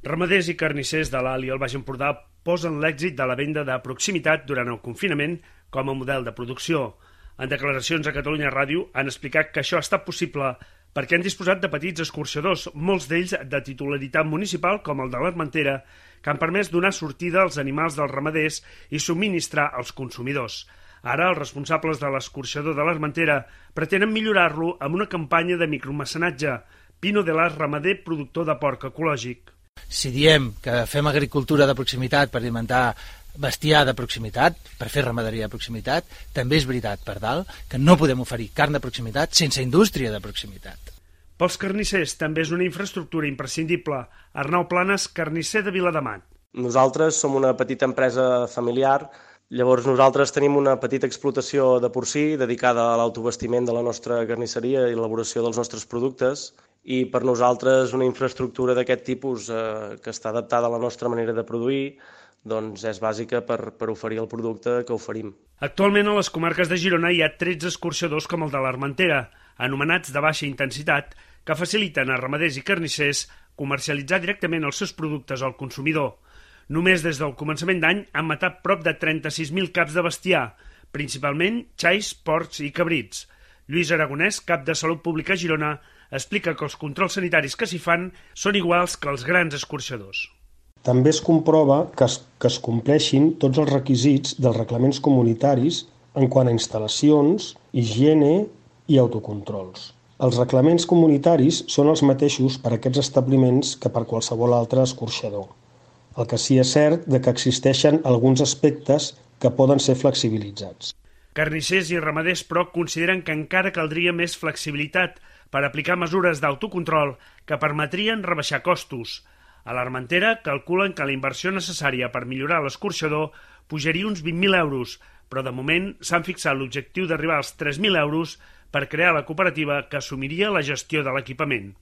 Ramaders i carnissers de l'Alt i el Baix Empordà posen l'èxit de la venda de proximitat durant el confinament com a model de producció. En declaracions a Catalunya Ràdio han explicat que això ha estat possible perquè han disposat de petits escorxadors, molts d'ells de titularitat municipal com el de l'Armentera, que han permès donar sortida als animals dels ramaders i subministrar als consumidors. Ara, els responsables de l'escorxador de l'Armentera pretenen millorar-lo amb una campanya de micromecenatge, Pino de l'As, ramader productor de porc ecològic. Si diem que fem agricultura de proximitat per alimentar bestiar de proximitat, per fer ramaderia de proximitat, també és veritat, per dalt, que no podem oferir carn de proximitat sense indústria de proximitat. Pels carnissers també és una infraestructura imprescindible. Arnau Planes, carnisser de Viladamat. Nosaltres som una petita empresa familiar, llavors nosaltres tenim una petita explotació de porcí dedicada a l'autobastiment de la nostra carnisseria i l'elaboració dels nostres productes, i per nosaltres una infraestructura d'aquest tipus que està adaptada a la nostra manera de produir doncs és bàsica per oferir el producte que oferim. Actualment a les comarques de Girona hi ha 13 escorxadors com el de l'Armentera, anomenats de baixa intensitat, que faciliten a ramaders i carnissers comercialitzar directament els seus productes al consumidor. Només des del començament d'any han matat prop de 36.000 caps de bestiar, principalment xais, porcs i cabrits. Lluís Aragonès, cap de Salut Pública a Girona, explica que els controls sanitaris que s'hi fan són iguals que els grans escorxadors. També es comprova que es compleixin tots els requisits dels reglaments comunitaris en quant a instal·lacions, higiene i autocontrols. Els reglaments comunitaris són els mateixos per a aquests establiments que per qualsevol altre escorxador. El que sí és cert de que existeixen alguns aspectes que poden ser flexibilitzats. Carnissers i ramaders, però, consideren que encara caldria més flexibilitat per aplicar mesures d'autocontrol que permetrien rebaixar costos. A l'Armentera calculen que la inversió necessària per millorar l'escorxador pujaria uns 20.000 euros, però de moment s'han fixat l'objectiu d'arribar als 3.000 euros per crear la cooperativa que assumiria la gestió de l'equipament.